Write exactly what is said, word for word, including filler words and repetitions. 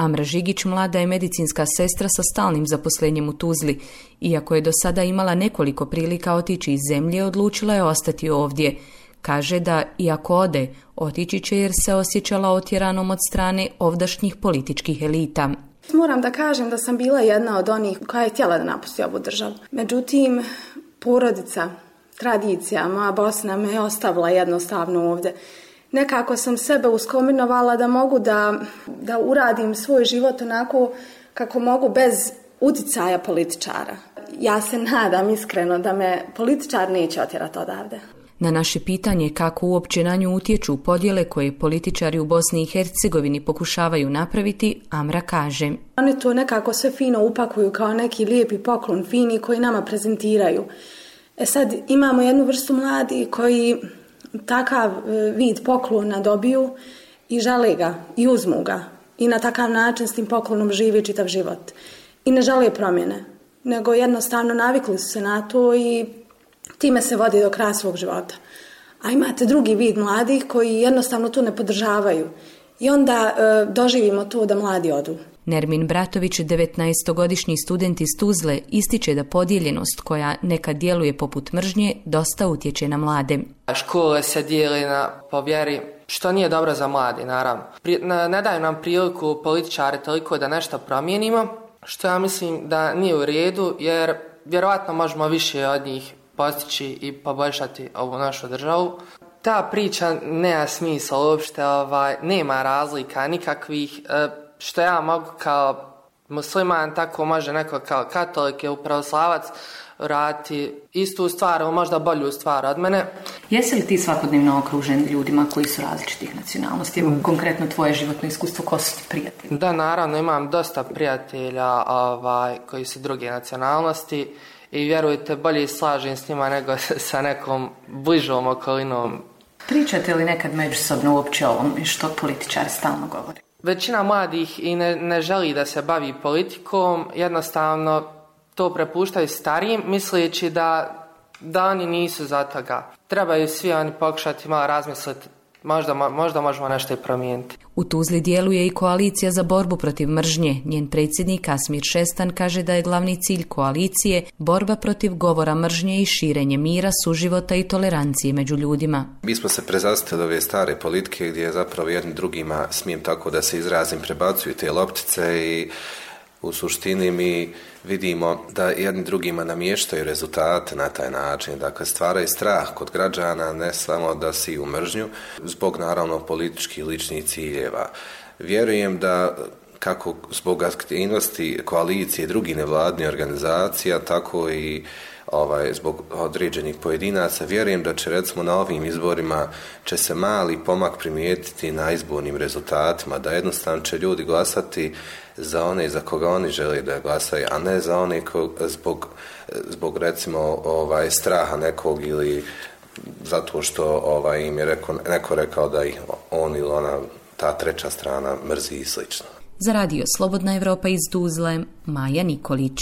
Amra Žigić mlada je medicinska sestra sa stalnim zaposlenjem u Tuzli. Iako je do sada imala nekoliko prilika otići iz zemlje, odlučila je ostati ovdje. Kaže da, iako ode, otići će jer se osjećala otjeranom od strane ovdašnjih političkih elita. Moram da kažem da sam bila jedna od onih koja je htjela da napusti ovu državu. Međutim, porodica, tradicija, moja Bosna me je ostavila jednostavno ovdje. Nekako sam sebe uskombinovala da mogu da, da uradim svoj život onako kako mogu bez uticaja političara. Ja se nadam iskreno da me političar neće otjerati odavde. Na naše pitanje kako uopće na nju utječu podjele koje političari u Bosni i Hercegovini pokušavaju napraviti, Amra kaže: Oni to nekako sve fino upakuju kao neki lijepi poklon fini koji nama prezentiraju. E sad imamo jednu vrstu mladih koji takav vid poklona dobiju i žele ga i uzmu ga i na takav način s tim poklonom žive čitav život. I ne žele promjene, nego jednostavno navikli su se na to i time se vodi do kraja svog života. A imate drugi vid mladih koji jednostavno to ne podržavaju. I onda e, doživimo to da mladi odu. Nermin Bratović, devetnaestogodišnji student iz Tuzle, ističe da podijeljenost koja nekad djeluje poput mržnje dosta utječe na mlade. Škole se dijeli na po vjeri, što nije dobro za mlade, naravno. Pri, ne, ne daju nam priliku političari toliko da nešto promijenimo, što ja mislim da nije u redu, jer vjerovatno možemo više od njih postići i poboljšati ovu našu državu. Ta priča nema smisla uopšte, ovaj, nema razlika nikakvih, e, što ja mogu kao musliman, tako može neko kao katolik ili pravoslavac raditi istu stvar, možda bolju stvar od mene. Jesi li ti svakodnevno okružen ljudima koji su različitih nacionalnosti? Evo, konkretno tvoje životno iskustvo, ko su ti prijatelji? Da, naravno, imam dosta prijatelja ovaj, koji su druge nacionalnosti i vjerujte, bolje slažem s njima nego sa nekom bližom okolinom. Pričate li nekad međusobno uopće o ovom što političari stalno govore? Većina mladih i ne, ne želi da se bavi politikom, jednostavno to prepuštaju starijim, misleći da, da oni nisu za toga. Trebaju svi oni pokušati malo razmisliti, možda, možda možemo nešto i promijeniti. U Tuzli djeluje i koalicija za borbu protiv mržnje. Njen predsjednik Asmir Šestan kaže da je glavni cilj koalicije borba protiv govora mržnje i širenje mira, suživota i tolerancije među ljudima. Mi smo se prezastili ove stare politike gdje zapravo jedni drugima, smijem tako da se izrazim, prebacuju te loptice i u suštini mi vidimo da jedni drugima namještaju rezultate na taj način. Dakle, stvaraju strah kod građana, ne samo da si u mržnju, zbog naravno političkih ličnih ciljeva. Vjerujem da kako zbog aktivnosti koalicije i drugih nevladnih organizacija, tako i ovaj, zbog određenih pojedinaca, vjerujem da će recimo na ovim izborima će se mali pomak primijetiti na izbornim rezultatima, da jednostavno će ljudi glasati za one za koga oni žele da glasaju, a ne za one ko, zbog, zbog recimo ovaj, straha nekog ili zato što ovaj, im je reko, neko rekao da ih on ili ona, ta treća strana mrzi i slično. Za radio Slobodna Evropa iz Tuzle, Maja Nikolić.